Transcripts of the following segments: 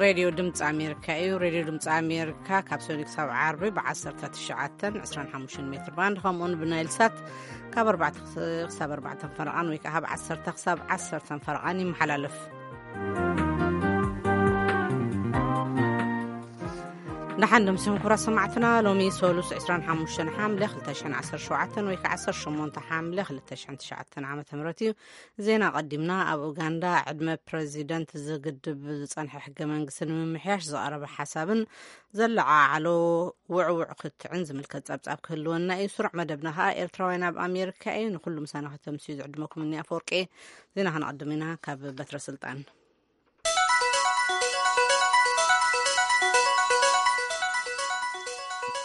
ሬድዮ ድምፂ ኣሜሪካ እዩ። ሬድዮ ድምፂ ኣሜሪካ ካብ ሰኑይ ክሳብ ዓርቢ ብ19 25 ሜትር ባንድ፣ ከምኡውን ብናይል ሳት ካብ ኣርባዕተ ክሳብ ኣርባዕተ ፈረቓን ወይ ከዓ ካብ ዓሰርተ ክሳብ ዓሰርተ ፈረቓን ይመሓላለፍ። ንሓንድም ስም ኩብራ ሰማዕትና፣ ሎሚ ሰሉስ 25 ሓምለ 2017 ወይ ከዓ 18 ሓምለ 2009 ዓመተ ምህረት እዩ። ዜና ቀዲምና። ኣብ ኡጋንዳ ዕድመ ፕረዚደንት ዝግድብ ዝጸንሐ ሕገ መንግስቲ ንምምሕያሽ ዝቐረበ ሓሳብን ዘለዓዓሎ ውዕውዕ ክትዕን ዝምልከት ጸብጻብ ክህልወና እዩ። ስሩዕ መደብና ከኣ ኤርትራውያን ኣብ ኣሜሪካ እዩ። ንኹሉ ምሳና ከተምስዩ ዝዕድመኩም እኒ ኣፈወርቂ። ዜና ከነቐድም ኢና ካብ በትረ ስልጣን።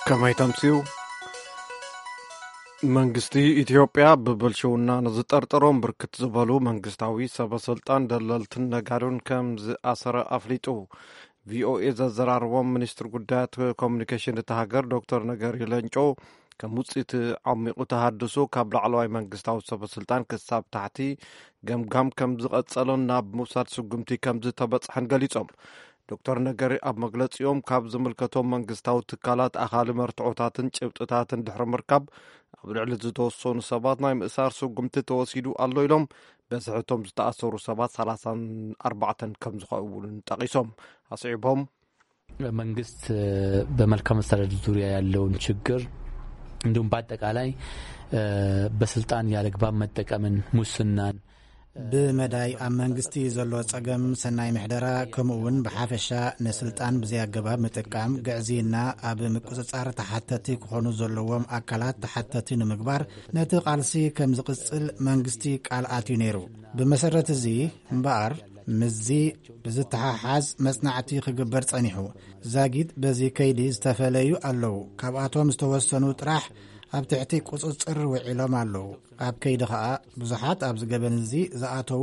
ከመይ ተምስዩ? መንግስቲ ኢትዮጵያ ብብልሽውና ንዝጠርጠሮም ብርክት ዝበሉ መንግስታዊ ሰበ ስልጣን፣ ደለልትን ነጋዶን ከም ዝኣሰረ ኣፍሊጡ። ቪኦኤ ዘዘራረቦም ሚኒስትር ጉዳያት ኮሚኒኬሽን እታ ሃገር ዶክተር ነገሪ ለንጮ፣ ከም ውፅኢት ዓሚቑ ተሃድሶ ካብ ላዕለዋይ መንግስታዊ ሰበ ስልጣን ክሳብ ታሕቲ ገምጋም ከም ዝቐጸሎን ናብ ምውሳድ ስጉምቲ ከም ዝተበጽሐን ገሊጾም። ዶክተር ነገሪ ኣብ መግለጺኦም፣ ካብ ዝምልከቶም መንግስታዊ ትካላት ኣኻሊ መርትዖታትን ጭብጥታትን ድሕሪ ምርካብ፣ ኣብ ልዕሊ ዝተወሰኑ ሰባት ናይ ምእሳር ስጉምቲ ተወሲዱ ኣሎ ኢሎም። በዝሒ እቶም ዝተኣሰሩ ሰባት 34 ከም ዝኾኑ እውን ጠቒሶም። ኣስዒቦም፣ መንግስት በመልካም አስተዳደር ዙሪያ ያለውን ችግር፣ እንዲሁም በአጠቃላይ በስልጣን ያለግባብ መጠቀምን፣ ሙስናን፣ ብመዳይ ኣብ መንግስቲ ዘሎ ጸገም ሰናይ ምሕደራ፣ ከምኡ እውን ብሓፈሻ ንስልጣን ብዘይ ኣገባብ ምጥቃም፣ ግዕዝይና፣ ኣብ ምቁጽጻር ተሓተቲ ክኾኑ ዘለዎም ኣካላት ተሓተቲ ንምግባር ነቲ ቃልሲ ከም ዝቕጽል መንግስቲ ቃል ኣትዩ ነይሩ። ብመሰረት እዚ እምበኣር፣ ምስዚ ብዝተሓሓዝ መጽናዕቲ ክግበር ጸኒሑ። ዛጊት በዚ ከይዲ ዝተፈለዩ ኣለዉ። ካብኣቶም ዝተወሰኑ ጥራሕ ኣብ ትሕቲ ቁጽጽር ውዒሎም ኣለዉ። ኣብ ከይዲ ኸኣ ብዙሓት ኣብዚ ገበን እዚ ዝኣተዉ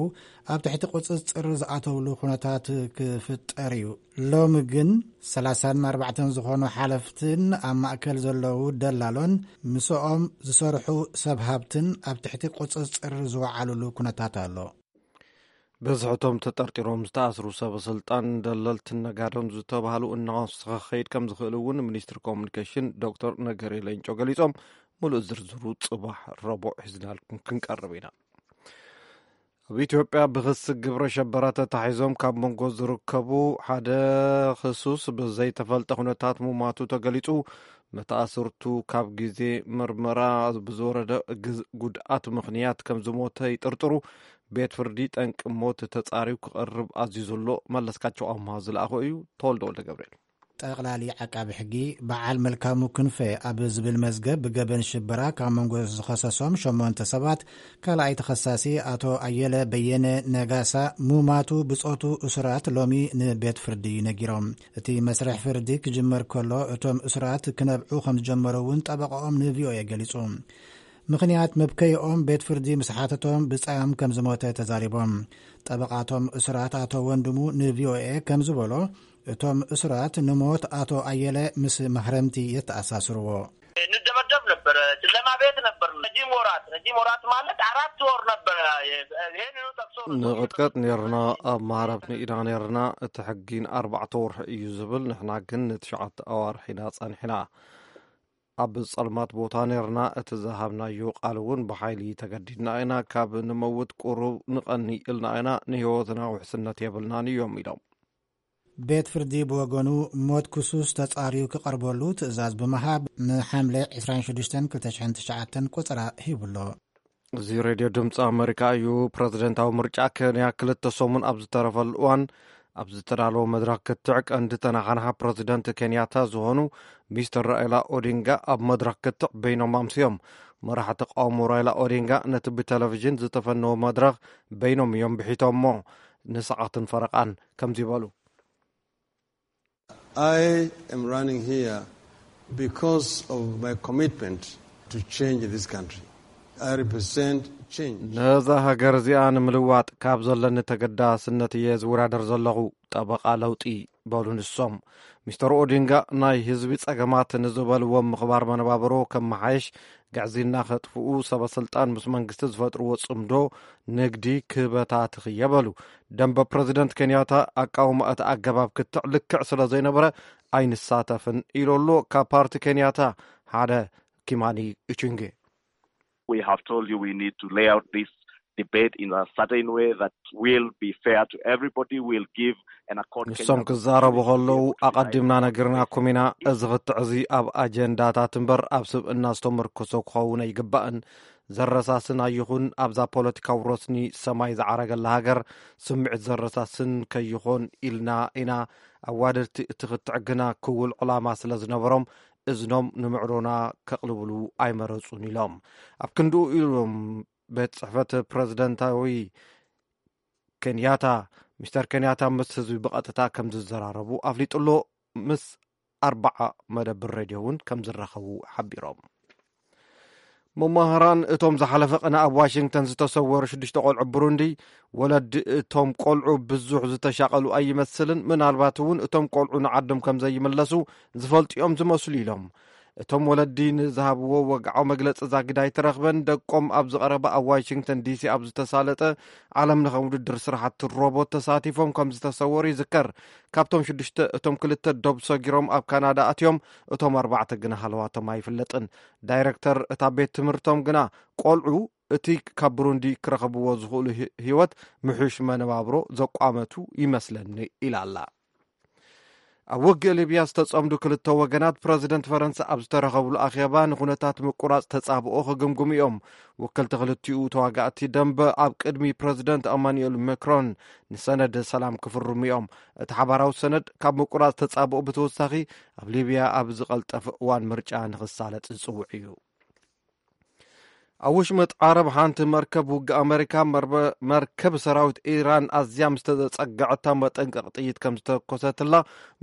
ኣብ ትሕቲ ቁጽጽር ዝኣተውሉ ኩነታት ክፍጠር እዩ። ሎሚ ግን 34 ዝኾኑ ሓለፍትን ኣብ ማእከል ዘለዉ ደላሎን ምስኦም ዝሰርሑ ሰብ ሃብትን ኣብ ትሕቲ ቁጽጽር ዝወዓሉሉ ኩነታት ኣሎ። ብዝሕቶም ተጠርጢሮም ዝተኣስሩ ሰበ ስልጣን፣ ደለልትን ነጋዶን ዝተባህሉ እናወሰኸ ክኸይድ ከም ዝኽእል እውን ሚኒስትሪ ኮሙኒኬሽን ዶክተር ነገሪ ሌንጮ ገሊጾም። ሙሉእ ዝርዝሩ ጽባሕ ረቡዕ ሒዝናልኩም ክንቀርብ ኢና። ኣብ ኢትዮጵያ ብኽሲ ግብረ ሸበራ ተታሒዞም ካብ መንጎ ዝርከቡ ሓደ ክሱስ ብዘይተፈልጠ ኩነታት ሙማቱ ተገሊጹ። መተኣስርቱ ካብ ግዜ ምርመራ ብዝወረደ ግዝ- ጉድኣት ምኽንያት ከም ዝሞተ ይጥርጥሩ። ቤት ፍርዲ ጠንቂ ሞት ተጻርዩ ክቐርብ ኣዚዙ ኣሎ። መለስካቸው ኣምሃ ዝለኣኾ እዩ። ተወልደ ወልደ ገብርኤል። ጠቕላሊ ዓቃቢ ሕጊ በዓል መልካሙ ክንፈ ኣብ ዝብል መዝገብ ብገበን ሽበራ ካብ መንጎ ዝኸሰሶም ሸሞንተ ሰባት ካልኣይ ተኸሳሲ ኣቶ ኣየለ በየነ ነጋሳ ሙማቱ ብጾቱ እሱራት ሎሚ ንቤት ፍርዲ ነጊሮም። እቲ መስርሕ ፍርዲ ክጅመር ከሎ እቶም እሱራት ክነብዑ ከም ዝጀመሩ እውን ጠበቃኦም ንቪኦኤ ገሊጹ። ምኽንያት መብከይኦም ቤት ፍርዲ ምስ ሓተቶም ብጻዮም ከም ዝሞተ ተዛሪቦም። ጠበቃቶም እሱራት ኣቶ ወንድሙ ንቪኦኤ ከም ዝበሎ፣ እቶም እሱራት ንሞት ኣቶ ኣየለ ምስ ማህረምቲ የተኣሳስርዎ። እንደበደብ ነበረ። ጨለማ ቤት ነበር። ረጅም ወራት፣ ረጅም ወራት ማለት አራት ወር ነበረ። ይሄንኑ ጠቅሶ ነው ንቕጥቀጥ ነርና፣ ኣብ ማህረምቲ ኢና ነርና። እቲ ሕጊ ንኣርባዕተ ወርሒ እዩ ዝብል፣ ንሕና ግን ንትሽዓተ ኣዋርሕ ኢና ጸኒሕና። ኣብ ጸልማት ቦታ ነርና፣ እቲ ዝሃብናዮ ቃል እውን ብሓይሊ ተገዲድና ኢና። ካብ ንመውት ቁሩብ ንቐኒ ኢልና ኢና፣ ንህይወትና ውሕስነት የብልናን እዮም ኢሎም። ቤት ፍርዲ ብወገኑ ሞት ክሱስ ተጻርዩ ክቐርበሉ ትእዛዝ ብምሃብ ንሓምለ 26 2009 ቁጽራ ሂቡሎ። እዚ ሬድዮ ድምፂ ኣመሪካ እዩ። ፕረዚደንታዊ ምርጫ ኬንያ ክልተ ሰሙን ኣብ ዝተረፈሉ እዋን ኣብ ዝተዳለወ መድረኽ ክትዕ ቀንዲ ተናሓናሓ ፕረዚደንት ኬንያታ ዝኾኑ ሚስተር ራኢላ ኦዲንጋ ኣብ መድረኽ ክትዕ በይኖም ኣምስዮም። መራሒ ተቃውሞ ራይላ ኦዲንጋ ነቲ ብቴሌቪዥን ዝተፈነወ መድረኽ በይኖም እዮም ብሒቶሞ። ንሰዓትን ፈረቓን ከምዚ በሉ። I am running here because of my commitment to change this country. I represent change. ነዛ ሃገር እዚኣ ንምልዋጥ ካብ ዘለኒ ተገዳስነት እየ ዝወዳደር ዘለኹ። ጠበቓ ለውጢ በሉ ንሶም። ሚስተር ኦዲንጋ ናይ ህዝቢ ጸገማት ንዝበልዎም ምኽባር መነባብሮ ከመሓየሽ፣ ግዕዝይና ከጥፍኡ፣ ሰበ ስልጣን ምስ መንግስቲ ዝፈጥርዎ ጽምዶ ንግዲ ክበታትኽ እየ በሉ። ደንበ ፕረዚደንት ኬንያታ ኣቃውማ እቲ ኣገባብ ክትዕ ልክዕ ስለ ዘይነበረ ኣይንሳተፍን ኢሉ ኣሎ። ካብ ፓርቲ ኬንያታ ሓደ ኪማኒ ኢቹንጌ። We have told you we need to lay out this debate in a certain way that will be fair to everybody, will give an accord. ንሶም ክዛረቡ ከለዉ ኣቐዲምና ነጊርናኩም ኢና። እዚ ክትዕ እዚ ኣብ ኣጀንዳታት እምበር ኣብ ስብእና ዝተመርኮሰ ክኸውን ኣይግባእን። ዘረሳስን ኣይኹን ኣብዛ ፖለቲካዊ ረስኒ ሰማይ ዝዓረገላ ሃገር ስምዒት ዘረሳስን ከይኾን ኢልና ኢና። ኣዋደድቲ እቲ ክትዕ ግና ክውል ዕላማ ስለ ዝነበሮም እዝኖም ንምዕሮና ከቕልብሉ ኣይመረጹን ኢሎም። ኣብ ክንድኡ ኢሎም ቤት ጽሕፈት ፕረዚደንታዊ ኬንያታ፣ ሚስተር ኬንያታ ምስ ህዝቢ ብቐጥታ ከም ዝዘራረቡ ኣፍሊጡ ኣሎ። ምስ ኣርባዓ መደብር ሬድዮ እውን ከም ዝራኸቡ ሓቢሮም። መማህራን እቶም ዝሓለፈ ቅነ ኣብ ዋሽንግተን ዝተሰወሩ ሽዱሽተ ቆልዑ ብሩንዲ፣ ወለዲ እቶም ቆልዑ ብዙሕ ዝተሻቐሉ ኣይመስልን፣ ምናልባት እውን እቶም ቆልዑ ንዓዶም ከም ዘይምለሱ ዝፈልጡ እዮም ዝመስሉ ኢሎም። እቶም ወለዲ ንዝሃብዎ ወግዓዊ መግለጺ ዛጊድ ኣይተረኽበን። ደቆም ኣብ ዝቐረበ ኣብ ዋሽንግተን ዲሲ ኣብ ዝተሳለጠ ዓለም ለኸ ውድድር ስራሕቲ ሮቦት ተሳቲፎም ከም ዝተሰወሩ ይዝከር። ካብቶም ሽዱሽተ እቶም ክልተ ዶብ ሰጊሮም ኣብ ካናዳ ኣትዮም፣ እቶም ኣርባዕተ ግና ሃለዋቶም ኣይፍለጥን። ዳይረክተር እታ ቤት ትምህርቶም ግና ቆልዑ እቲ ካብ ብሩንዲ ክረኸብዎ ዝኽእሉ ህይወት ምሕሽ መነባብሮ ዘቋመቱ ይመስለኒ ኢላ ኣላ። ኣብ ውግእ ሊብያ ዝተጸምዱ ክልተ ወገናት ፕረዚደንት ፈረንሳ ኣብ ዝተረኸብሉ ኣኼባ ንኹነታት ምቁራጽ ተጻብኦ ክግምግሙ እዮም። ወከልቲ ክልቲኡ ተዋጋእቲ ደንበ ኣብ ቅድሚ ፕረዚደንት ኣማኑኤል ማክሮን ንሰነድ ሰላም ክፍርሙ እዮም። እቲ ሓባራዊ ሰነድ ካብ ምቁራጽ ተጻብኦ ብተወሳኺ ኣብ ሊብያ ኣብ ዝቐልጠፈ እዋን ምርጫ ንኽሳለጥ ዝጽውዕ እዩ። ኣብ ውሽመጥ ዓረብ ሓንቲ መርከብ ውግእ ኣመሪካ መርከብ ሰራዊት ኢራን ኣዝያ ምስ ተጸግዐታ መጠንቀቕ ጥይት ከም ዝተኮሰትላ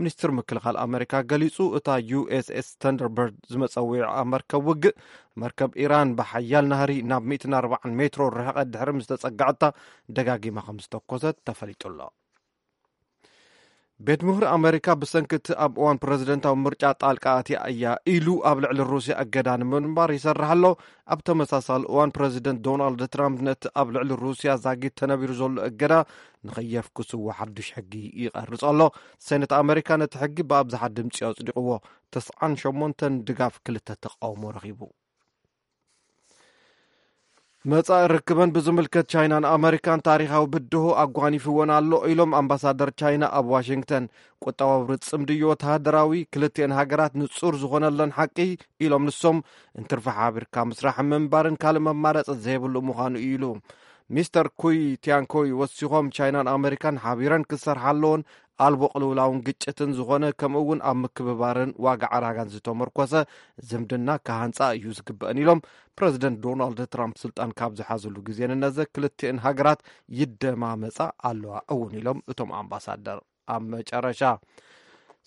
ሚኒስትር ምክልኻል ኣመሪካ ገሊጹ። እታ ዩ ኤስ ኤስ ተንደርበርድ ዝመጸዊዓ መርከብ ውግእ መርከብ ኢራን ብሓያል ናህሪ ናብ ሚእትን ኣርባዓን ሜትሮ ርሕቐት ድሕሪ ምስ ተጸግዐታ ደጋጊማ ከም ዝተኮሰት ተፈሊጡ ኣሎ። ቤት ምኽሪ ኣመሪካ ብሰንኪ እቲ ኣብ እዋን ፕረዚደንታዊ ምርጫ ጣልቃ ኣትያ እያ ኢሉ ኣብ ልዕሊ ሩስያ እገዳ ንምንባር ይሰርሕ ኣሎ። ኣብ ተመሳሳሊ እዋን ፕረዚደንት ዶናልድ ትራምፕ ነቲ ኣብ ልዕሊ ሩስያ ዛጊድ ተነቢሩ ዘሎ እገዳ ንኸየፍክስዎ ሓዱሽ ሕጊ ይቐርጽ ኣሎ። ሴነት ኣመሪካ ነቲ ሕጊ ብኣብዝሓ ድምፂ ኣጽዲቕዎ። ተስዓን ሸሞንተን ድጋፍ፣ ክልተ ተቃውሞ ረኺቡ። መጻኢ ርክበን ብዝምልከት ቻይናን ኣመሪካን ታሪኻዊ ብድሆ ኣጓኒፍወን ኣሎ ኢሎም ኣምባሳደር ቻይና ኣብ ዋሽንግተን። ቁጠባዊ ርጽምድዮ ወተሃደራዊ ክልቲኤን ሃገራት ንጹር ዝኾነለን ሓቂ ኢሎም ንሶም እንትርፊ ሓቢርካ ምስራሕ ምንባርን ካልእ መማረጺ ዘይብሉ ምዃኑ እዩ ኢሉ። ሚስተር ኩይ ቲያንኮይ ወሲኾም ቻይናን ኣመሪካን ሓቢረን ክሰርሓ ኣለዎን ኣልቦ ቅልውላውን ግጭትን ዝኾነ ከምኡ እውን ኣብ ምክብባርን ዋጋ ዕዳጋን ዝተመርኮሰ ዝምድና ክሃንፃ እዩ ዝግበአን ኢሎም። ፕረዚደንት ዶናልድ ትራምፕ ስልጣን ካብ ዝሓዝሉ ግዜ ንነዘ ክልቲኤን ሃገራት ይደማመፃ ኣለዋ እውን ኢሎም እቶም ኣምባሳደር። ኣብ መጨረሻ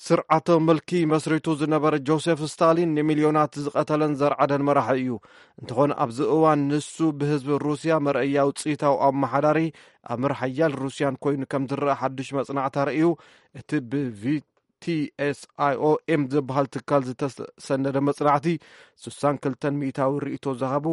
ስርዓተ ምልኪ መስሪቱ ዝነበረ ጆሴፍ ስታሊን ንሚልዮናት ዝቐተለን ዘርዓደን መራሒ እዩ። እንተኾነ ኣብዚ እዋን ንሱ ብህዝቢ ሩስያ መርኣያ ውፅኢታዊ ኣመሓዳሪ ኣምር ሓያል ሩስያን ኮይኑ ከም ዝረአ ሓዱሽ መጽናዕቲ ኣርእዩ። እቲ ብቪቲኤስኣይኦኤም ዝበሃል ትካል ዝተሰነደ መጽናዕቲ ስሳን ክልተን ሚእታዊ ርእይቶ ዝሃቡ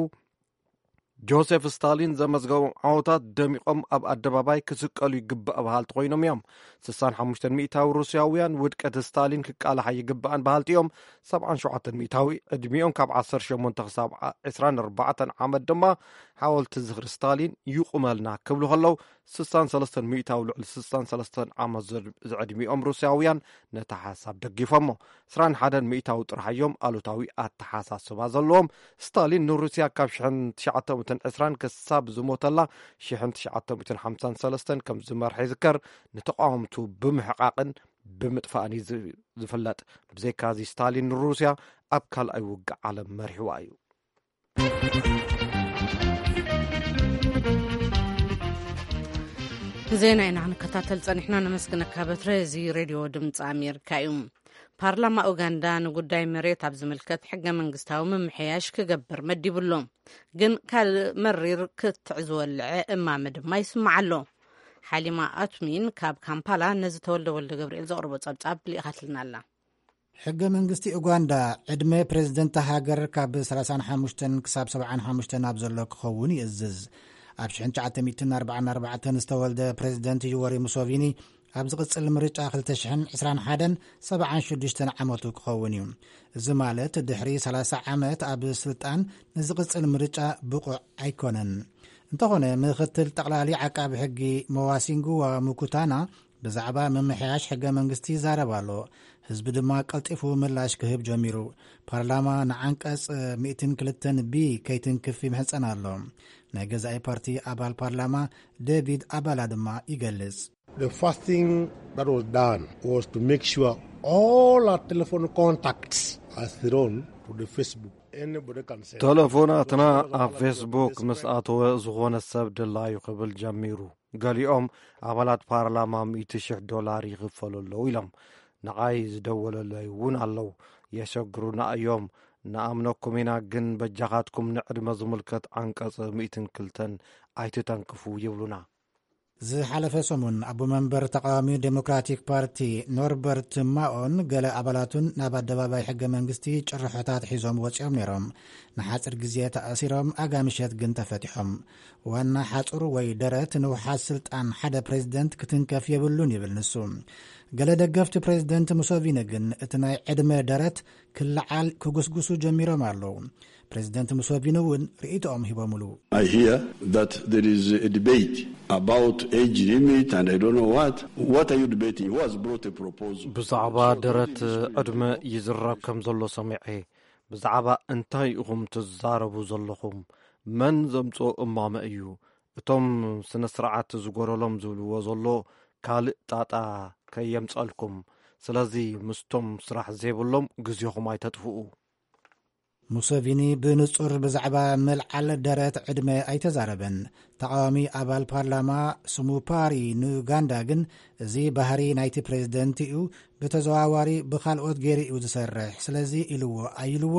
ጆሴፍ ስታሊን ዘመዝገቦም ዓወታት ደሚቖም ኣብ ኣደባባይ ክስቀሉ ይግባእ በሃልቲ ኮይኖም እዮም። ስሳን ሓሙሽተን ሚእታዊ ሩስያውያን ውድቀት ስታሊን ክቃላሓ ይግባእን በሃልቲ እዮም። ሰብዓን ሸውዓተን ሚእታዊ ዕድሚኦም ካብ ዓሰርተ ሸሞንተ ክሳብ ዕስራን ኣርባዕተን ዓመት ድማ ሓወልቲ ዝኽሪ ስታሊን ይቑመልና ክብሉ ከለዉ፣ ስሳን ሰለስተን ሚእታዊ ልዕሊ ስሳን ሰለስተን ዓመት ዝዕድሚኦም ሩስያውያን ነቲ ሓሳብ ደጊፎሞ። ዕስራን ሓደን ሚእታዊ ጥራሕ እዮም ኣሉታዊ ኣተሓሳስባ ዘለዎም። ስታሊን ንሩስያ ካብ ሽሕን ትሽዓተ ሚእትን ዕስራን ክሳብ ዝሞተላ ሽሕን ትሽዓተ ሚእትን ሓምሳን ሰለስተን ከም ዝመርሐ ይዝከር። ንተቃወምቱ ብምሕቃቕን ብምጥፋእን እዩ ዝፍለጥ። ብዘይካዚ ስታሊን ንሩስያ ኣብ ካልኣይ ውግእ ዓለም መሪሕዋ እዩ። ዜና ኢና ክንከታተል ጸኒሕና። ነመስግነካ በትረ። እዚ ሬድዮ ድምፂ ኣሜሪካ እዩ። ፓርላማ ኡጋንዳ ንጉዳይ መሬት ኣብ ዝምልከት ሕገ መንግስታዊ ምምሕያሽ ክገብር መዲቡ ኣሎ። ግን ካልእ መሪር ክትዕ ዝወልዐ እማመ ድማ ይስማዕ ኣሎ። ሓሊማ ኣቱሚን ካብ ካምፓላ ነዚ ተወልደ ወልደ ገብርኤል ዘቕርቦ ጸብጻብ ልኢኻትልና ኣላ። ሕገ መንግስቲ ኡጋንዳ ዕድመ ፕሬዝደንት ሃገር ካብ ሰላሳን ሓሙሽተን ክሳብ ሰብዓን ሓሙሽተን ኣብ ዘሎ ክኸውን ይእዝዝ። ኣብ ሽሕን ትሽዓተ ሚእትን ኣርባዓን ኣርባዕተን ዝተወልደ ፕሬዝደንት ዩወሪ ሙሶቪኒ ኣብ ዝቕጽል ምርጫ ክልተ ሽሕን ዕስራን ሓደን ሰብዓን ሽዱሽተን ዓመቱ ክኸውን እዩ። እዚ ማለት ድሕሪ ሰላሳ ዓመት ኣብ ስልጣን ንዝቕጽል ምርጫ ብቑዕ ኣይኮነን። እንተኾነ ምኽትል ጠቕላሊ ዓቃቢ ሕጊ መዋሲንጉዋ ሙኩታና ብዛዕባ ምምሕያሽ ሕገ መንግስቲ ይዛረብ ኣሎ። ህዝቢ ድማ ቀልጢፉ ምላሽ ክህብ ጀሚሩ። ፓርላማ ንዓንቀጽ ሚእትን ክልተን ቢ ከይትንክፍ ይምሕጸን ኣሎ። ናይ ገዛኢ ፓርቲ ኣባል ፓርላማ ዴቪድ ኣባላ ድማ ይገልጽ። The first thing that was done was to make sure all our telephone contacts are thrown to the Facebook. Anybody can send. ተለፎናትና ኣብ ፌስቡክ ምስ ኣተወ ዝኾነ ሰብ ድላዩ ክብል ጀሚሩ። ገሊኦም ኣባላት ፓርላማ ሚእቲ ሽሕ ዶላር ይኽፈሉ ኣለዉ ኢሎም። ንዓይ ዝደወለለይ እውን ኣለዉ። የሸግሩና እዮም። ንኣምነኩም ኢና፣ ግን በጃኻትኩም ንዕድመ ዝምልከት ዓንቀጽ ሚእትን ክልተን ኣይትተንክፉ ይብሉና። ዝሓለፈ ሰሙን ኣቦ መንበር ተቃዋሚ ዴሞክራቲክ ፓርቲ ኖርበርት ማኦን ገለ ኣባላቱን ናብ ኣደባባይ ሕገ መንግስቲ ጭርሖታት ሒዞም ወፂኦም ነይሮም። ንሓፂር ግዜ ተኣሲሮም ኣጋምሸት ግን ተፈቲሖም። ዋና ሓፁር ወይ ደረት ንውሓት ስልጣን ሓደ ፕሬዝደንት ክትንከፍ የብሉን ይብል ንሱ። ገለ ደገፍቲ ፕሬዝደንት ሙሶቪኒ ግን እቲ ናይ ዕድመ ደረት ክለዓል ክጉስጉሱ ጀሚሮም ኣለዉ። ፕሬዝደንት ሙሶቪኒ እውን ርእይቶኦም ሂቦምሉ። I hear that there is a debate about age limit and I don't know what. What are you debating? Who has brought a proposal? ብዛዕባ ደረት ዕድመ ይዝረብ ከም ዘሎ ሰሚዐ። ብዛዕባ እንታይ ኢኹም ትዛረቡ ዘለኹም? መን ዘምጽኦ እማመ እዩ? እቶም ስነ ስርዓት ዝጎደሎም ዝብልዎ ዘሎ ካልእ ጣጣ ከየምጸልኩም። ስለዚ ምስቶም ስራሕ ዘይብሎም ግዜኹም ኣይተጥፍኡ። ሙሰቪኒ ብንጹር ብዛዕባ ምልዓል ደረት ዕድመ ኣይተዛረበን። ተቓዋሚ ኣባል ፓርላማ ስሙፓሪ ንኡጋንዳ ግን፣ እዚ ባህሪ ናይቲ ፕሬዝደንት እዩ፣ ብተዘዋዋሪ ብኻልኦት ገይሩ እዩ ዝሰርሕ፣ ስለዚ ኢልዎ ኣይልዎ፣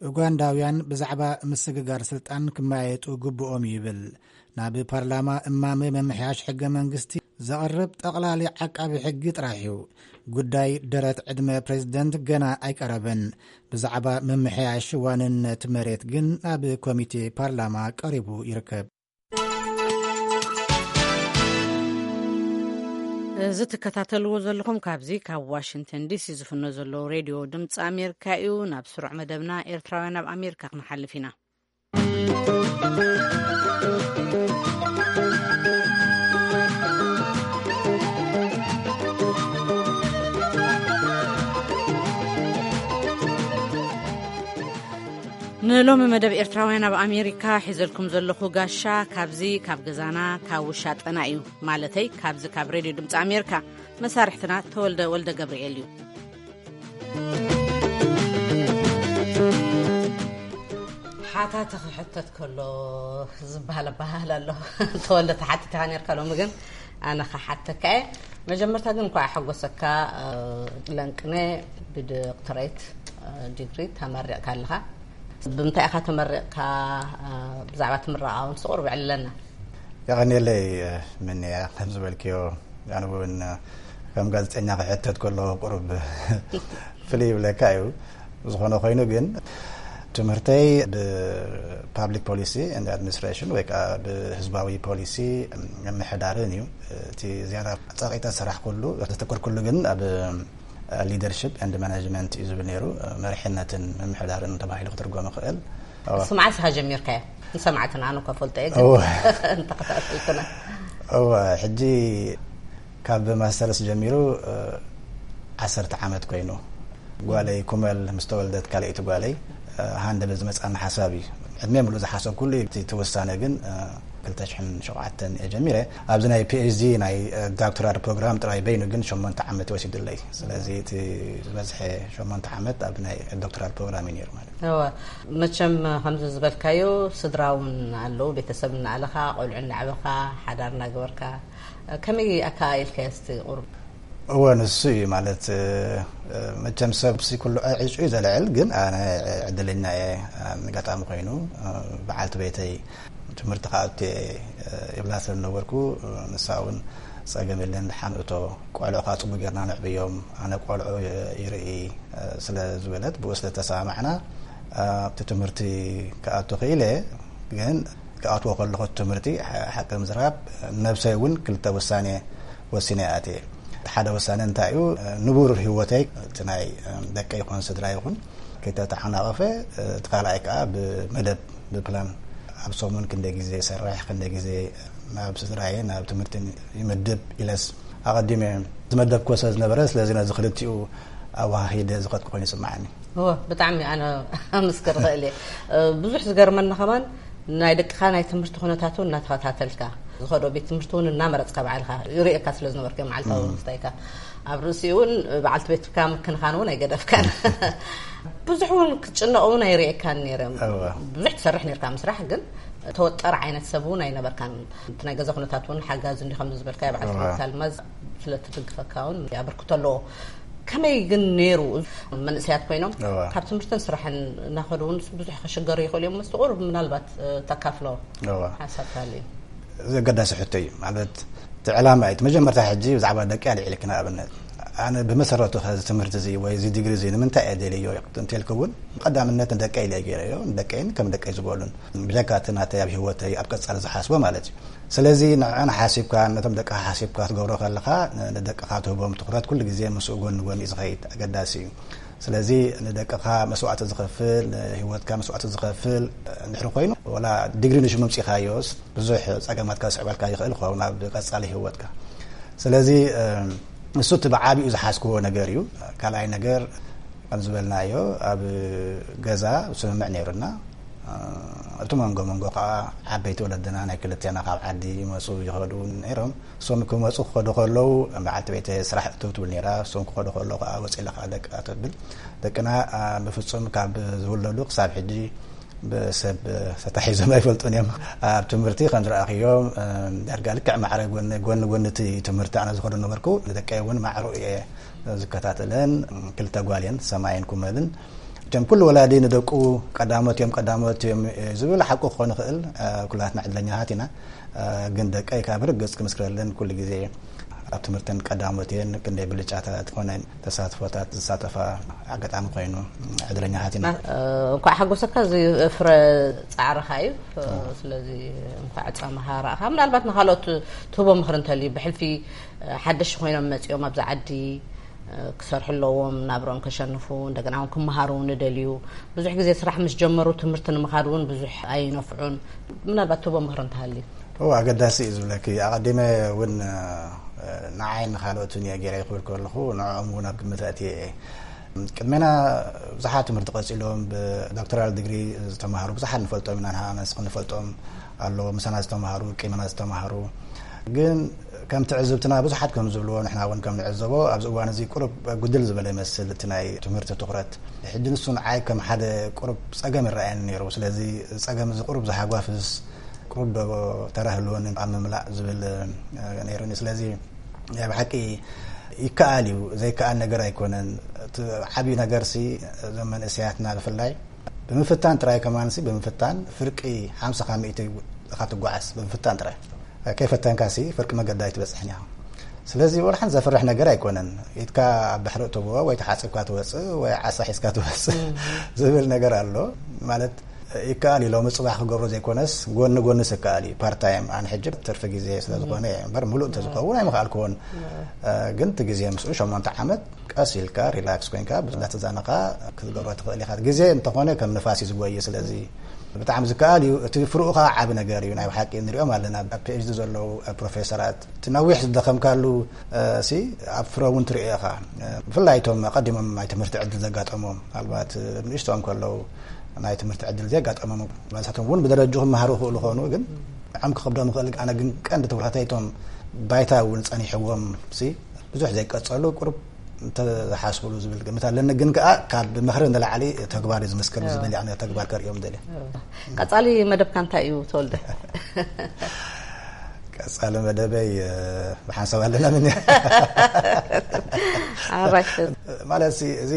ኡጋንዳውያን ብዛዕባ ምስግጋር ስልጣን ክመያየጡ ግብኦም እዩ ይብል። ናብ ፓርላማ እማመ ምምሕያሽ ሕገ መንግስቲ ዘቕርብ ጠቕላሊ ዓቃቢ ሕጊ ጥራሕ እዩ። ጉዳይ ደረት ዕድመ ፕሬዝደንት ገና ኣይቀረበን። ብዛዕባ ምምሕያሽ ዋንነት መሬት ግን ናብ ኮሚቴ ፓርላማ ቀሪቡ ይርከብ። እዚ ትከታተልዎ ዘለኹም ካብዚ ካብ ዋሽንግተን ዲሲ ዝፍኖ ዘሎ ሬድዮ ድምፂ ኣሜሪካ እዩ። ናብ ስሩዕ መደብና ኤርትራውያን ኣብ ኣሜሪካ ክንሓልፍ ኢና። ንሎሚ መደብ ኤርትራውያን ኣብ ኣሜሪካ ሒዘልኩም ዘለኹ ጋሻ ካብዚ ካብ ገዛና ካብ ውሻጠና እዩ። ማለተይ ካብዚ ካብ ሬድዮ ድምፂ ኣሜሪካ መሳርሕትና ተወልደ ወልደ ገብርኤል እዩ። ሓታቲ ክሕተት ከሎ ዝበሃል ኣበሃህላ ኣሎ። ተወልደ ተሓቲትካ ነርካ፣ ሎሚ ግን ኣነ ክሓተካ እየ። መጀመርታ ግን እንኳዕ ሓጎሰካ። ለንቅነ ብዶክተሬት ዲግሪ ተመሪቕካ ኣለኻ። ብምንታይ ኢኻ ተመሪቕካ? ብዛዕባ እቲ ምረቓ እውን ስቑር ብዕልለና። የቐንየለይ ምንያ፣ ከም ዝበልክዮ ኣነ እውን ከም ጋዜጠኛ ክሕተት ከሎ ቁሩብ ፍልይ ይብለካ እዩ። ዝኾነ ኮይኑ ግን ትምህርተይ ብፓብሊክ ፖሊሲ ኤንድ ኣድሚኒስትሬሽን ወይ ከዓ ብህዝባዊ ፖሊሲ ምምሕዳርን እዩ። እቲ ዝያዳ ጸቂጠ ዝሰራሕኩሉ ዘተኮርኩሉ ግን ኣብ ሊደርሽፕ ኤንድ ማናጅመንት እዩ ዝብል ነይሩ። መሪሕነትን ምምሕዳርን ተባሂሉ ክትርጎም ይኽእል። እሱ መዓስ ኢኻ ጀሚርካዮ? ንሰማዕትና ኣነ እኳ ፈልጦ እየ፣ ግን እወ። ንተኸታተልትና። እወ፣ ሕጂ ካብ ማስተርስ ጀሚሩ ዓሰርተ ዓመት ኮይኑ፣ ጓለይ ኩመል ምስ ተወልደት ካልኣይቲ ጓለይ፣ ሃንደበት ዝመጻኒ ሓሳብ እዩ። ዕድመ ሙሉእ ዝሓሰብኩሉ እዩ። እቲ ውሳነ ግን ክልተ ሽሕን ሸውዓተን እየ ጀሚረ። ኣብዚ ናይ ፒ ኤች ዲ ናይ ዶክተራል ፕሮግራም ጥራይ በይኑ ግን ሸሞንተ ዓመት ወሲዱለይ። ስለዚ እቲ ዝበዝሐ ሸሞንተ ዓመት ኣብ ናይ ዶክተራል ፕሮግራም እዩ ነይሩ ማለት እዩ። እወ፣ መቸም ከምዚ ዝበልካዮ ስድራ እውን ኣለዉ፣ ቤተሰብ እናኣለኻ፣ ቆልዑ እናዕበኻ፣ ሓዳር እናገበርካ፣ ከመይ ኣከኣኢልካዮ እስቲ ቁሩብ? እወ፣ ንሱ እዩ ማለት፣ መቸም ሰብ ሲ ኩሉ ዕጩ እዩ ዘልዕል፣ ግን ኣነ ዕድለኛ እየ። ኣጋጣሚ ኮይኑ በዓልቲ ቤተይ ትምህርቲ ክኣቱ ይብላ ስለ ዝነበርኩ፣ ንሳ እውን ጸገም የለን፣ ደሓን እቶ፣ ቆልዑ ከዓ ጽቡቅ ጌርና ነዕብዮም፣ ኣነ ቆልዑ ይርኢ ስለ ዝበለት፣ ብኡ ስለ ተሰማማዕና ኣብቲ ትምህርቲ ክኣቱ ክኢለ። ግን ክኣትዎ ከለኹ ትምህርቲ ሓቂ ምዝራብ፣ ነብሰይ እውን ክልተ ውሳኔ ወሲነ ኣትየ። እቲ ሓደ ውሳኔ እንታይ እዩ? ንቡር ህይወተይ፣ እቲ ናይ ደቀይ ይኹን ስድራ ይኹን ከይተተሓናቐፈ፣ እቲ ካልኣይ ከዓ ብመደብ፣ ብፕላን፣ ኣብ ሰሙን ክንደይ ግዜ ይሰርሕ፣ ክንደይ ግዜ ናብ ስድራየ ናብ ትምህርቲ ይምድብ ኢለስ ኣቐዲመ ዝመደብኩዎ ስለ ዝነበረ፣ ስለዚ ነዚ ክልቲኡ ኣወሃሂደ ዝኸድኩ ኮይኑ ይስምዓኒ። እወ፣ ብጣዕሚ ኣነ ኣመስክር እኽእል እየ። ብዙሕ ዝገርመኒ ከማን ናይ ደቅኻ ናይ ትምህርቲ ኩነታት እውን እናተኸታተልካ፣ ዝኸዶ ቤት ትምህርቲ እውን እናመረጽካ ባዕልኻ ይርእየካ ስለ ዝነበርካ፣ መዓልታዊ ምስታይካ ኣብ ርእሲኡ እውን በዓልቲ ቤትካ ምክንኻን እውን ኣይገደፍካን። ብዙሕ እውን ክትጭነቕ እውን ኣይርእየካን ነይረ። እወ። ብዙሕ ትሰርሕ ነይርካ ምስራሕ፣ ግን ተወጠር ዓይነት ሰብ እውን ኣይነበርካን። እቲ ናይ ገዛ ኩነታት እውን ሓጋዚ እንዲ ከም ዝበልካ፣ በዓልቲ እወ። ቤትካ ኣልማዝ ስለ ትድግፈካ እውን ኣበርክቶ ኣለዎ። ከመይ ግን ነይሩ? መንእሰያት ኮይኖም እወ። ካብ ትምህርትን ስራሕን እናኸዱ እውን ብዙሕ ክሽገሩ ይኽእሉ እዮም። ምስ ቁሩብ ምናልባት ተካፍሎ እወ። ሓሳብ ተሃልዩ። እዚ ኣገዳሲ ሕቶ እዩ። ማለት፣ እቲ ዕላማ እዩ። እቲ መጀመርታ ሕጂ ብዛዕባ ደቂ ኣልዒልኪ፣ ንኣብነት፣ ኣነ ብመሰረቱ ከዚ ትምህርቲ እዚ ወይ እዚ ዲግሪ እዚ ንምንታይ እየ ደልዮ እንተልኩ እውን፣ ቀዳምነት ንደቀይ ኢለ እየ ገይረዮ። ንደቀይን ከም ደቀይ ዝበሉን፣ ብጀካ እቲ ናተይ ኣብ ህይወተይ ኣብ ቀጻሊ ዝሓስቦ ማለት እዩ። ስለዚ ንዕን ሓሲብካ፣ ነቶም ደቅኻ ሓሲብካ ክትገብሮ ከለኻ፣ ን-፣ ንደቅኻ ትህቦም ትኹረት ኩሉ ግዜ ምስኡ ጎኒ ጎኒ እዩ ዝኸይድ፣ ኣገዳሲ እዩ። ስለዚ ንደቅኻ መስዋእቲ ዝኸፍል፣ ንህይወትካ መስዋእቲ ዝኸፍል እንድሕሪ ኮይኑ፣ ወላ ዲግሪ ንሽሙ ኣምጺእካዮስ ብዙሕ ጸገማት ከስዕበልካ ይኽእል ይኸውን ኣብ ቀጻሊ ህይወትካ። ስለዚ፣ እ፣ ንሱ እቲ ብዓቢኡ ዝሓዝክዎ ነገር እዩ። ካልኣይ ነገር፣ ከም ዝበልናዮ፣ ኣብ ገዛ ስምምዕ ነይሩና። እ፣ እቲ መንጎ መንጎ ከዓ ዓበይቲ ወለድና ናይ ክልቴና ካብ ዓዲ ይመጹ ይኸዱ ነይሮም። እሶም ክመጹ ክኸዱ ከለዉ፣ በዓልቲ ቤተይ ስራሕ እትው ትብል ነይራ። እሶም ክኸዱ ከለዉ ከዓ ወፂ ኢለ ከዓ ደቂ ኣተብል። ደቅና፣ እ፣ ብፍጹም ካብ ዝውለዱ ክሳብ ሕጂ ብሰብ ተታሒዞም ኣይፈልጡን እዮም። ኣብ ትምህርቲ ከም ዝረኣኽዮም፣ እ፣ ዳርጋ ልክዕ ማዕረ ጎኒ፣ ጎኒ ጎኒ እቲ ትምህርቲ ኣነ ዝኸዶ ነበርኩ። ንደቀይ እውን ማዕሩ እየ ዝከታተለን። ክልተ ጓል እየን፣ ሰማይን ኩመልን። እቶም ኩሉ ወላዲ ንደቁ ቀዳሞት እዮም፣ ቀዳሞት እዮም፣ እ፣ ዝብል ሓቁ ክኾን ይኽእል። እ፣ ኩላትና ዕድለኛታት ኢና። እ፣ ግን ደቀይ ካብ ርግጽ ክምስክረለን ኩሉ ግዜ ኣብ ትምህርተን ቀዳሞት እየን። ክንደይ ብልጫታት ዝኾነ ተሳትፎታት ዝሳተፋ ኣጋጣሚ ኮይኑ ዕድለኛታት ኢና። እ፣ እንኳዕ ሓጎሰካ፣ እዚ ፍረ ጻዕርኻ እዩ። እ፣ ስለዚ እንኳዕ ጻማኻ ረኣኻ። ምናልባት ንኻልኦት ትህቦ ምኽሪ እንተልዩ፣ ብሕልፊ፣ እ፣ ሓደሽቲ ኮይኖም መጺኦም ኣብዚ ዓዲ፣ እ፣ ክሰርሑ ኣለዎም፣ ናብሮም ከሸንፉ፣ እንደገና እውን ክመሃሩ እውን ይደልዩ። ብዙሕ ግዜ ስራሕ ምስ ጀመሩ ትምህርቲ ንምኻድ እውን ብዙሕ ኣይነፍዑን። ምናልባት ትህቦ ምኽሪ እንተሃልዩ? እወ፣ ኣገዳሲ እዩ ዝብለኪ። ኣቐዲመ እውን፣ እ፣ ንዓይ ንኻልኦትን እየ ገይረ ክብል ከለኹ፣ ንዕኦም እውን ኣብ ግምት ኣእትየ እየ። ቅድሜና ብዙሓት ትምህርቲ ቀጺሎም ብዶክተራል ዲግሪ ዝተማሃሩ ብዙሓት ንፈልጦም ኢና። ንሃና ንስኽን ንፈልጦም ኣለዉ፣ ምሳና ዝተማሃሩ፣ ቅድሜና ዝተማሃሩ። ግን ከም ትዕዝብትና ብዙሓት ከም ዝብልዎ፣ ንሕና እውን ከም ንዕዘቦ፣ ኣብዚ እዋን እዚ ቁሩብ ጉድል ዝበለ ይመስል እቲ ናይ ትምህርቲ ትኹረት። ሕጂ ንሱ ንዓይ ከም ሓደ ቁሩብ ጸገም ይረኣየኒ ነይሩ። ስለዚ ጸገም እዚ ቁሩብ ዝሃጓፍስ፣ ቁሩብ ዶ ተራ ህልወኒ ኣብ ምምላእ ዝብል፣ እ፣ ነይሩኒ። ስለዚ ናይ ብሓቂ ይከኣል እዩ፣ ዘይከኣል ነገር ኣይኮነን። እቲ ዓብዪ ነገርሲ እዞም መንእሰያትና ብፍላይ ብምፍታን ጥራይ፣ ከማንሲ ብምፍታን ፍርቂ ሓምሳ ካብ ሚእቲ ኢኻ ትጓዓዝ፣ ብምፍታን ጥራይ። ከይፈተንካሲ ፍርቂ መገዲ ኣይትበጽሕን ኢኻ። ስለዚ ወላ ሓንቲ ዘፍርሕ ነገር ኣይኮነን። ኢድካ ኣብ ባሕሪ እተብኦ ወይ ተሓጺብካ ትወጽእ ወይ ዓሳ ሒዝካ ትወጽእ ዝብል ነገር ኣሎ። ማለት ይከኣል እዩ፣ ሎሚ ጽባሕ ክገብሮ ዘይኮነስ ጎኒ ጎኒስ ይከኣል እዩ። ፓርት ታይም፣ ኣነ ሕጂ ትርፊ ግዜ ስለ ዝኾነ እየ እምበር፣ ምሉእ እንተዝኸውን ኣይምኸኣልኩዎን። እ፣ ግን እቲ ግዜ ምስኡ ሸሞንተ ዓመት ቀስ ኢልካ ሪላክስ ኮይንካ እንዳተዛነኻ ክትገብሮ ትኽእል ኢኻ። ግዜ እንተኾነ ከም ንፋስ እዩ ዝጎይ። ስለዚ ብጣዕሚ ዝከኣል እዩ። እቲ ፍርኡ ኸዓ ዓቢ ነገር እዩ። ናይ ብሓቂ ንሪኦም ኣለና፣ ኣብ ፒ ኤች ዲ ዘለዉ ፕሮፌሰራት። እቲ ነዊሕ ዝደኸምካሉ፣ እ፣ ሲ ኣብ ፍረ እውን ትርእዮ ኢኻ። እ፣ ብፍላይ እቶም ኣቐዲሞም ናይ ትምህርቲ ዕድል ዘጋጠሞም፣ ምናልባት፣ እ፣ ንእሽቶኦም ከለዉ ናይ ትምህርቲ ዕድል ዘጋጠሞም፣ መሳቶም እውን ብደረጅኡ ክመሃሩ ይኽእሉ ይኾኑ፣ ግን ንዖም ክኸብዶም ይኽእል። ኣነ ግን ቀንዲ ትኹረተይ እቶም ባይታ እውን ጸኒሕዎም ሲ ብዙሕ ዘይቀጸሉ ቁሩብ እንተዝሓስብሉ ዝብል ግምት ኣለኒ። ግን ከኣ ካብ ምኽሪ ንላዕሊ ተግባር እዩ ዝምስክር፣ ዝብል ኣነ ተግባር ከርእዮም ደልየ። ቀጻሊ መደብካ እንታይ እዩ፣ ተወልደ? ቀጻሊ መደበይ፣ እ፣ ብሓንሳብ ኣለና ምን ኣራሽ። ማለት ሲ፣ እዚ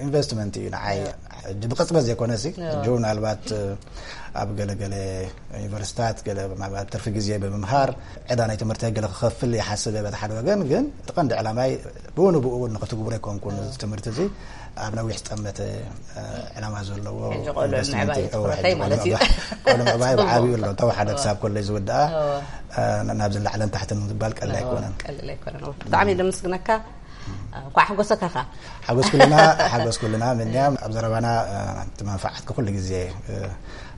ኢንቨስትመንት እዩ ንዓይ። ሕጂ ብቕጽበት ዘይኮነሲ፣ ሕጂ ምናልባት ኣብ ገለገለ ዩኒቨርሲታት ገለ ምናልባት ትርፊ ግዜ ብምምሃር ዕዳ ናይ ትምህርቲ ገለ ክኸፍል ይሓስብ እየ በቲ ሓደ ወገን። ግን እቲ ቀንዲ ዕላማይ ብኡ ንብኡ እውን ንክትግብሮ ኣይኮንኩን። እዚ ትምህርቲ እዚ ኣብ ነዊሕ ዝጠመተ ዕላማ ዘለዎ ኢንቨስትመንት እዩ። እወ፣ ሕጂ ቆልዑ ምዕባይ እዩ። ቆልዑ ምዕባይ ብዓብዩ ኣሎ። ተወሓደ ክሳብ ኮሌጅ ዝውድኣ ናብ ዝለዓለን ታሕትን ዝባል ቀልዲ ኣይኮነን። ቀልል ኣይኮነን። ብጣዕሚ ደምስግነካ። እንኳዕ ሓጎሰካ። ሓጎስ ኩልና። ሓጎስ ኩልና። ምንያም ኣብ ዘረባና እቲ መንፈዓት ኩሉ ግዜ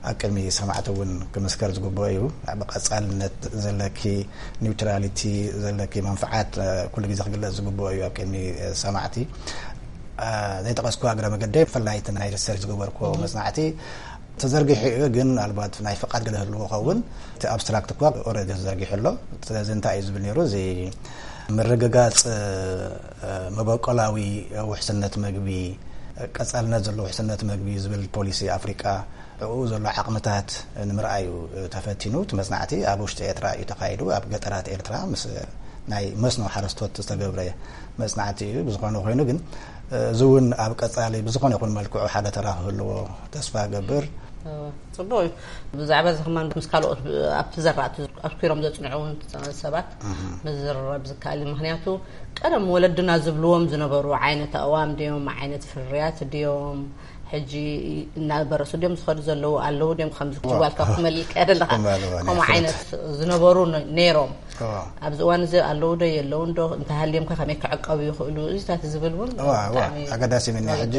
ኣብ ቅድሚ ሰማዕቲ እውን ክምስከር ዝግብኦ እዩ። ብቐጻልነት ዘለኪ ኒውትራሊቲ፣ ዘለኪ መንፈዓት ኩሉ ግዜ ክግለጽ ዝግብኦ እዩ ኣብ ቅድሚ ሰማዕቲ። ዘይጠቐስኩ እግረ መገደይ ብፍላይ እቲ ናይ ሪሰርች ዝገበርኩ መጽናዕቲ ተዘርጊሑ እዩ፣ ግን ምናልባት ናይ ፍቓድ ገለ ህልዎ ኸውን። እቲ ኣብስትራክት እኳ ኦረዲ ተዘርጊሑ ኣሎ። ስለዚ እንታይ እዩ ዝብል ነይሩ? እዚ ምርግጋጽ መበቆላዊ ውሕስነት መግቢ፣ ቀጻልነት ዘለዎ ውሕስነት መግቢ ዝብል ፖሊሲ ኣፍሪቃ፣ ኣብኡ ዘሎ ዓቕምታት ንምርኣዩ ተፈቲኑ። እቲ መጽናዕቲ ኣብ ውሽጢ ኤርትራ እዩ ተኻይዱ። ኣብ ገጠራት ኤርትራ ምስ ናይ መስኖ ሓረስቶት ዝተገብረ መጽናዕቲ እዩ። ብዝኾነ ኮይኑ ግን፣ እዚ እውን ኣብ ቀጻሊ ብዝኾነ ይኹን መልክዑ ሓደ ተራ ክህልዎ ተስፋ እገብር። ጽቡቅ እዩ። ብዛዕባ እዚ ከማን ምስ ካልኦት ኣብቲ ዘራእቲ ኣትኪሮም ዘጽንዑ እውን ሰባት ምዝርራብ ዝከኣል እዩ። ምኽንያቱ ቀደም ወለድና ዝብልዎም ዝነበሩ ዓይነት ኣእዋም ድዮም፣ ዓይነት ፍርያት ድዮም፣ ሕጂ እናበረሱ ድዮም ዝኸዱ ዘለዉ ኣለዉ ድዮም፣ ከምዚ ዋልካ ክመልልካ ደለኻ ከምኡ ዓይነት ዝነበሩ ነይሮም። ኣብዚ እዋን እዚ ኣለዉ ዶ የለውን ዶ፣ እንተሃልዮም ከ ከመይ ክዕቀቡ ይኽእሉ፣ እዚታት ዝብል እውን ኣገዳሲ ምንያ። ሕጂ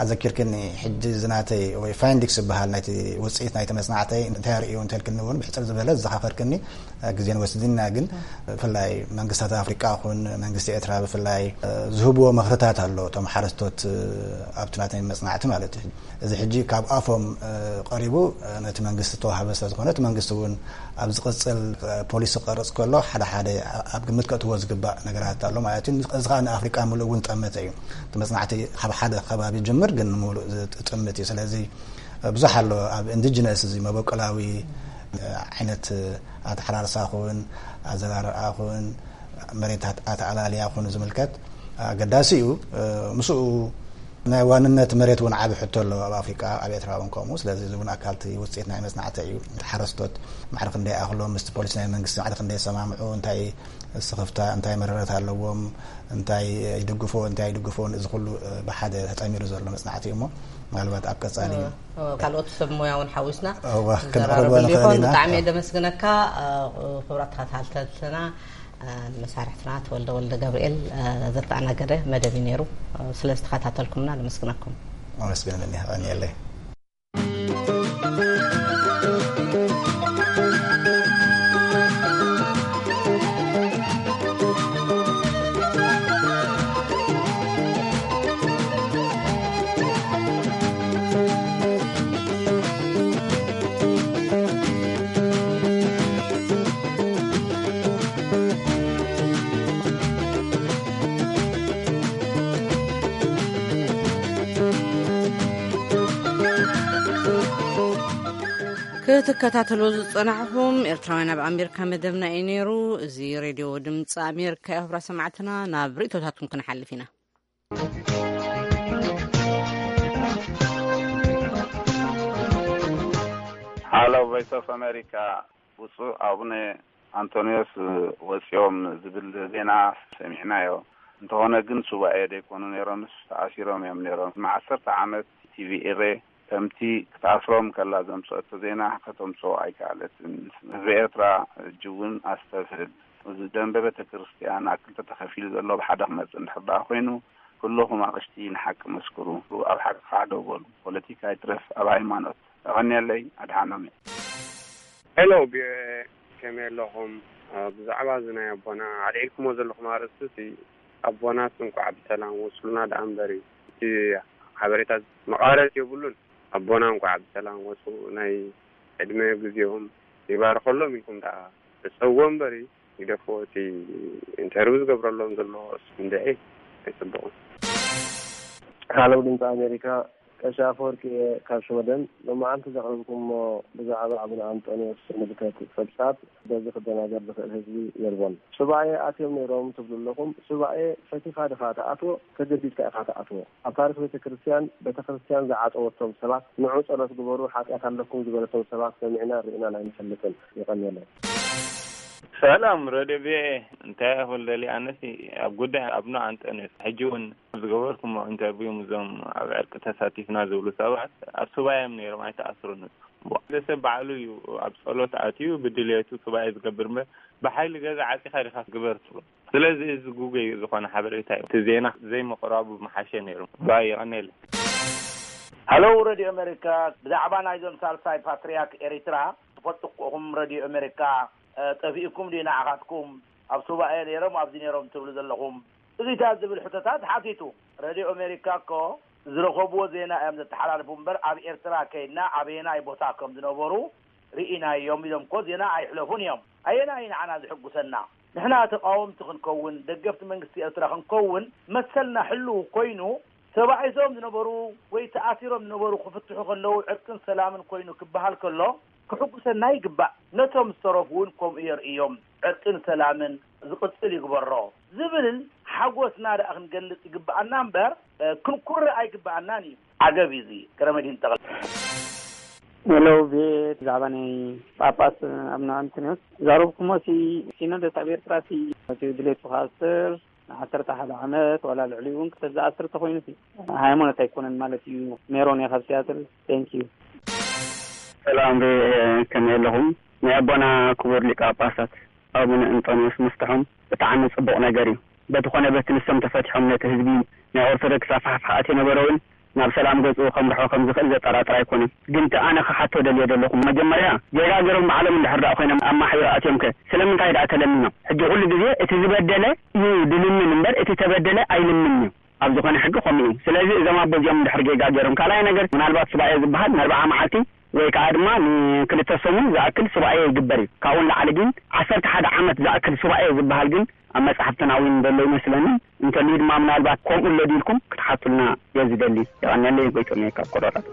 ኣዘኪርክኒ፣ ሕጂ ዝናተይ ወይ ፋይንዲክስ ዝበሃል ናይቲ ውፅኢት ናይቲ መፅናዕተይ እንታይ ርእዩ እንተልክኒ እውን ብሕፅር ዝበለ ዝዘኻኸርክኒ ግዜን ወስድና። ግን ብፍላይ መንግስታት ኣፍሪቃ ኹን መንግስቲ ኤርትራ ብፍላይ ዝህብዎ ምኽርታት ኣሎ እቶም ሓረስቶት ኣብቲ ናተይ መፅናዕቲ ማለት እዩ። እዚ ሕጂ ካብ ኣፎም ቀሪቡ ነቲ መንግስቲ ዝተዋሃበ ስለ ዝኾነ እቲ መንግስቲ እውን ኣብ ዝቕፅል ፖሊሲ ክቐርፅ ከሎ ሓደ ሓደ ኣብ ግምት ከእትዎ ዝግባእ ነገራት ኣሎ ማለት እዩ። እዚ ከዓ ንኣፍሪቃ ምሉእ እውን ጠመተ እዩ። እቲ መፅናዕቲ ካብ ሓደ ከባቢ ጅምር ግን ንምሉእ ዝጥምት እዩ። ስለዚ ብዙሕ ኣሎ ኣብ ኢንዲጂነስ እዚ መበቆላዊ ዓይነት ኣተሓራርሳ ኹን ኣዘራርኣ ኹን መሬት ኣተኣላልያ ኹን ዝምልከት ኣገዳሲ እዩ። ምስኡ ናይ ዋንነት መሬት እውን ዓቢ ሕቶ ኣሎ ኣብ ኣፍሪቃ፣ ኣብ ኤርትራ እውን ከምኡ። ስለዚ እዚ እውን ኣካልቲ ውፅኢት ናይ መፅናዕቲ እዩ። ሓረስቶት ማዕረ ክንደይ ኣኽሎም ምስቲ ፖሊሲ ናይ መንግስቲ ማዕረ ክንደይ ሰማምዑ፣ እንታይ ስኽፍታ እንታይ መረረት ኣለዎም፣ እንታይ ይድግፎ እንታይ ይድግፎን፣ እዚ ኩሉ ብሓደ ተጠሚሩ ዘሎ መፅናዕቲ እዩ። እሞ ምናልባት ኣብ ቀፃሊ ካልኦት ሰብ ሞያ እውን ሓዊስና ክንረባረበሉ ይኾን። ብጣዕሚ ደመስግነካ። ክቡራት ተኸታተልትና፣ መሳርሕትና ተወልደ ወልደ ገብርኤል ዘተኣናገደ መደብ እዩ ነይሩ። ስለ ዝተኸታተልኩምና ነመስግነኩም። ኣመስግን። ክትከታተሉ ዝጸናሕኹም ኤርትራውያን ኣብ ኣሜሪካ መደብና እዩ ነይሩ። እዚ ሬድዮ ድምፂ ኣሜሪካ እዩ። ክቡራት ሰማዕትና፣ ናብ ርእይቶታትኩም ክንሓልፍ ኢና። ሃሎ ቮይስ ኦፍ ኣሜሪካ፣ ብፁዕ ኣቡነ ኣንቶንዮስ ወፂኦም ዝብል ዜና ሰሚዕናዮ። እንተኾነ ግን ሱባኤ ደይኮኑ ነይሮምስ ተኣሲሮም እዮም ነይሮም። ንዓሰርተ ዓመት ቲቪ ኤሬ ከምቲ ክትኣስሮም ከላ ዘምፀአቶ ዜና ከተምፅኦ ኣይከኣለትን። ህዝቢ ኤርትራ ሕጂ እውን ኣስተብህል። እዚ ደንበ ቤተ ክርስቲያን ኣብ ክልተ ተኸፊሉ ዘሎ ብሓደ ክመፅእ እንድሕር ደኣ ኮይኑ ኩልኹም ኣቕሽቲ ንሓቂ መስክሩ። ኣብ ሓቂ ከዓ ደው በሉ። ፖለቲካ ይትረፍ ኣብ ሃይማኖት። የቐንየለይ። ኣድሓኖም እየ። ሄሎ ቪኦኤ፣ ከመይ ኣለኹም? ብዛዕባ እዚ ናይ ኣቦና ኣልዒልኩሞ ዘለኹም ኣርእስቲ፣ ኣቦናስ እንኳዕ ብሰላም ወሱልና ደኣ እምበር እዩ። እቲ ሓበሬታ መቓረፂ የብሉን። ኣቦና እንኳዕ ብሰላም ወፁ፣ ናይ ዕድመ ግዜኦም ይባርኸሎም ኢልኩም ደኣ እፀውዎ እምበር ይግደፍዎ። እቲ ኢንተርቪው ዝገብረሎም ዘሎ እንድዒ ኣይፅቡቕን። ሃለው ድምፂ ኣሜሪካ፣ ቀሺ ኣፈወርቂ እየ ካብ ሽወደን። ሎማዓንቲ ዘቕረብኩሞ ብዛዕባ ኣቡነ ኣንጦንዮስ ዝምልከት ጸብጻብ በዚ ክደናገር ዝኽእል ህዝቢ የልቦን። ሱባኤ ኣትዮም ነይሮም ትብሉ ኣለኹም። ሱባኤ ፈቲኻ ድኻ ትኣትዎ? ተገዲድካ ኢኻ ትኣትዎ። ኣብ ታሪኽ ቤተ ክርስቲያን፣ ቤተ ክርስቲያን ዝዓጸወቶም ሰባት፣ ንዑ ጸሎት ግበሩ፣ ሓጢኣት ኣለኩም ዝበለቶም ሰባት ሰሚዕናን ርኢናን ኣይንፈልጥን። የቐንየለይ። ሰላም ረድዮ ቪኦኤ፣ እንታይ ይኹን ደሊ ኣነሲ ኣብ ጉዳይ ኣብነ ኣንጠንዮስ ሕጂ እውን ዝገበርኩሞ ኢንተርቪው ምስዞም ኣብ ዕርቂ ተሳቲፍና ዝብሉ ሰባት ኣብ ሱባኤ እዮም ነይሮም፣ ኣይተኣስሩን። ሓደ ሰብ ባዕሉ እዩ ኣብ ጸሎት ኣትዩ ብድልየቱ ሱባኤ ዝገብር እምበር ብሓይሊ ገዛ ዓጺኻ ዲኻ ግበር ትብሎ። ስለዚ እዚ ጉጉይ ዝኾነ ሓበሬታ እዩ። እቲ ዜና ዘይምቕራቡ ምሓሸ ነይሩ። ባይ፣ የቐንየለይ። ሃሎ ረድዮ ኣሜሪካ፣ ብዛዕባ ናይዞም ሳልሳይ ፓትርያርክ ኤሪትራ ትፈልጡ እኮ ኢኹም። ረድዮ ኣሜሪካ፣ እ፣ ጠፊእኩም ድዩ ንዓኻትኩም? ኣብ ሱባኤ ነይሮም፣ ኣብዚ ነይሮም ትብሉ ዘለኹም? እዚታት ዝብል ሕቶታት ሓቲቱ። ረድዮ ኣሜሪካ እኮ ዝረኸብዎ ዜና እዮም ዘተሓላልፉ እምበር፣ ኣብ ኤርትራ ከይድና ኣበየናይ ቦታ ከም ዝነበሩ ርኢናዮም ኢሎም እኮ ዜና ኣይሕለፉን እዮም። ኣየናይ ንዓና ዝሕጉሰና? ንሕና ተቃወምቲ ክንከውን፣ ደገፍቲ መንግስቲ ኤርትራ ክንከውን መሰልና ሕልው ኮይኑ፣ ተባኢሶም ዝነበሩ ወይ ተኣሲሮም ዝነበሩ ክፍትሑ ከለዉ ዕርቅን ሰላምን ኮይኑ ክበሃል ከሎ ክሕጉሰና ይግባእ። ነቶም ዝተረፉ እውን ከምኡ የርእዮም። ዕርቅን ሰላምን ዝቕጽል ይግበሮ ዝብል ሓጎስና ደኣ ክንገልጽ ይግብኣና እምበር፣ እ፣ ክንኩርዕ ኣይግብኣናን እዩ። ዓገብ እዩ እዚ። ገረመድህን ተኽለ። ሄሎ፣ ቤት ብዛዕባ ናይ ጳጳስ ኣቡነ ኣንቶንዮስ ዛረብኩሞ ሲ፣ ሲኖዶስ ኣብ ኤርትራ ሲ፣ እቲ ድሌቱ ክኣስር፣ ንዓሰርተ ሓደ ዓመት ዋላ ልዕሊኡ እውን ክተዝኣስር ተኾይኑ ሲ፣ ሃይማኖት ኣይኮነን ማለት እዩ። ሜሮን እየ ካብ ሲያትል። Thank you። ሰላም፣ ከመይ ኣለኹም? ናይ ኣቦና ክቡር ሊቀ ጳጳሳት ኣቡነ እንጦንዮስ ምፍትሖም ብጣዕሚ ጽቡቕ ነገር እዩ። በቲ ኾነ በቲ ንሶም ተፈቲሖም ነቲ ህዝቢ ናይ ኦርቶዶክስ ኣፋሕፍሓ ኣትዩ ነበረ እውን ናብ ሰላም ገጹ ከምርሖ ከም ዝኽእል ዘጠራጥር ኣይኮነን። ግን እቲ ኣነ ክሓቶ ደልየ ዘለኹ፣ መጀመርያ ጌጋ ገይሮም ባዕሎም እንድሕር ደኣ ኮይኖም ኣብ ማሕበር ኣትዮም ከ ስለምንታይ ደኣ ተለሚኖም? ሕጂ ኩሉ ግዜ እቲ ዝበደለ እዩ ድልምን እምበር እቲ ተበደለ ኣይልምን እዩ። ኣብ ዝኾነ ሕጊ ከምኡ እዩ። ስለዚ እዞም ኣቦ እዚኦም እንድሕር ጌጋ ገይሮም፣ ካልኣይ ነገር ምናልባት ሱባኤ ዝበሃል ንኣርብዓ መዓልቲ ወይ ከዓ ድማ ንክልተ ሰሙን ዝኣክል ሱባኤ ይግበር እዩ። ካብኡ ንላዕሊ ግን ዓሰርተ ሓደ ዓመት ዝኣክል ሱባኤ ዝበሃል ግን ኣብ መጽሓፍትና እውን ዘሎ ይመስለኒ። እንተልዩ ድማ ምናልባት ከምኡ ኣሎ ድዩ ኢልኩም ክትሓቱልና እየ ዝደሊ። የቐንየለይ። ጎይቶም እየ ካብ ኮሎራዶ።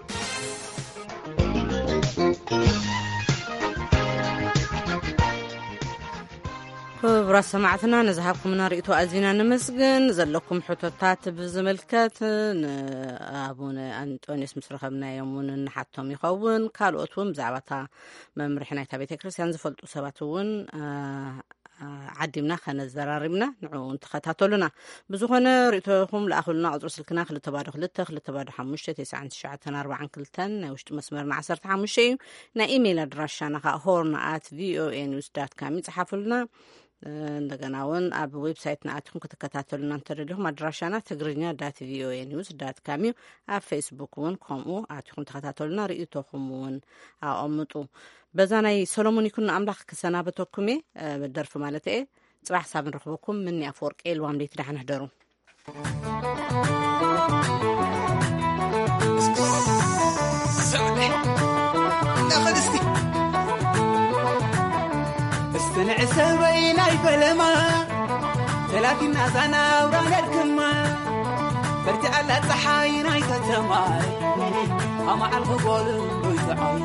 ክቡራት ሰማዕትና፣ ንዝሃብኩምና ርእይቶ ኣዚና ነመስግን። ዘለኩም ሕቶታት ብዝምልከት ንኣቡነ ኣንጦንዮስ ምስ ረኸብናዮም እውን ንሓቶም ይኸውን። ካልኦት እውን ብዛዕባ እታ መምርሒ ናይታ ቤተ ክርስቲያን ዝፈልጡ ሰባት እውን፣ አ፣ አ፣ ዓዲምና ከነዘራርብና ንዕኡ እውን ተኸታተሉና። ብዝኾነ ርእይቶኹም ለኣኹልና። ቁጽሪ ስልክና ክልተ ባዶ ክልተ፣ ክልተ ባዶ ሓሙሽተ፣ ተስዓን ትሽዓተን ኣርባዓን ክልተን፣ ናይ ውሽጢ መስመርና ዓሰርተ ሓሙሽተ እዩ። ናይ ኢሜይል ኣድራሻና ኸኣ ሆርን ኣት ቪኦኤ ኒውስ ዳት ካም ይጽሓፉልና። እ፣ እንደገና እውን ኣብ ዌብሳይትና ኣቲኹም ክትከታተሉና እንተደሊኹም ኣድራሻና ትግርኛ ዳት ቪኦኤ ኒውስ ዳት ካም እዩ። ኣብ ፌስቡክ እውን ከምኡ ኣቲኹም ተኸታተሉና፣ ርእይቶኹም እውን ኣቐምጡ። በዛ ናይ ሰሎሞን ይኩኖ ኣምላኽ ክሰናበተኩም እየ፣ እ፣ ደርፊ ማለት እየ። ጽባሕ ሳብ ንረኽበኩም። ምኒ ኣፈወርቂ፣ ልዋም ለይቲ፣ ደሓን ሕደሩ። እስቲ ንዕሰበይ ናይ ፈለማ፣ ተላፊና ዛና ኣውራ ነድክማ። በርቲዓላ ጸሓይ ናይ ከተማ፣ ኣማዓል ክጎል ዶይትዓይ።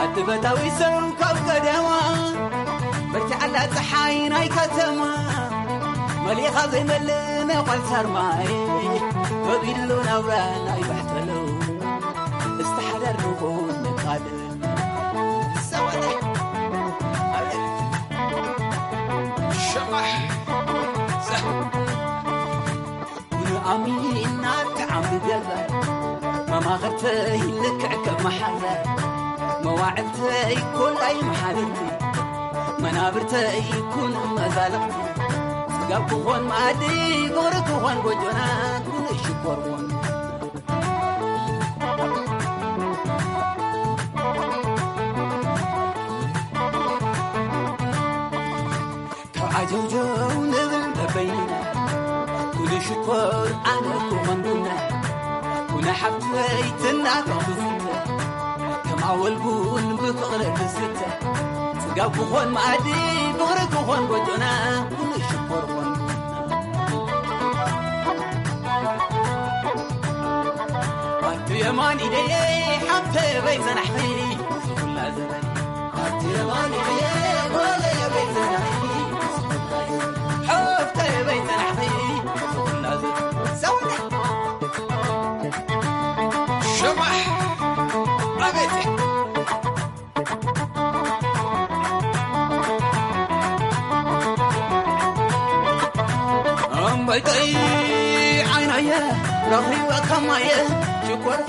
ኣትበታዊ ሰብ ካብ ቀደማ፣ በርቲዓላ ጸሓይ ናይ ከተማ፣ መሊኻ ዘይመልእ ነቋል ሳርማይ፣ ከቢድሎ ናብራ ናይ ባሕተሎ፣ እስቲ ሓዳር ንኹን ንቃደም። ሰበለ፣ ኣቤት፣ ሸባሕ፣ ዘ- ንኣሚና ተዓምደላ፣ መማኽርተይ ልክዕ ከም መሓዛ፣ መዋዕልተይ ኮላይ መሓልልቲ፣ መናብርተይ ኩን መዛልቕቲ፣ ጽጋብ ክኾን መኣዲ፣ ፍቕሪ ክኾን ጎጆና፣ ኩን ሽኮር ኾን። ተዓጀውጀው ንብል በበይንና፣ ኩሉ ሽኮር ኣነ ክኾን ቡና፣ ኩነ ሓብተይ ትናገር ትዝተ፣ ከም ኣወል ቡን ብፍቕሪ ትስተ፣ ጽጋብ ክኾን መኣዲ፣ ፍቕሪ ክኾን ጎጆና፣ ኩሉ ሽኮር ኾን ቡና። የማን ኢደየ ሓፍተይ በይ ዘናሕኺ ኩላ ዘበን። ኣብቲ የማን ኢደየ ጓለየ በይ ዘናሕኺ ኩላ ዘበን። ሓፍተይ በይ ዘናሕኺ ኩላ ዘበን። ሰውነ ሽባሕ ኣቤት እምበይተይ ዓይናየ ረኺበ ከማየ ሽኮር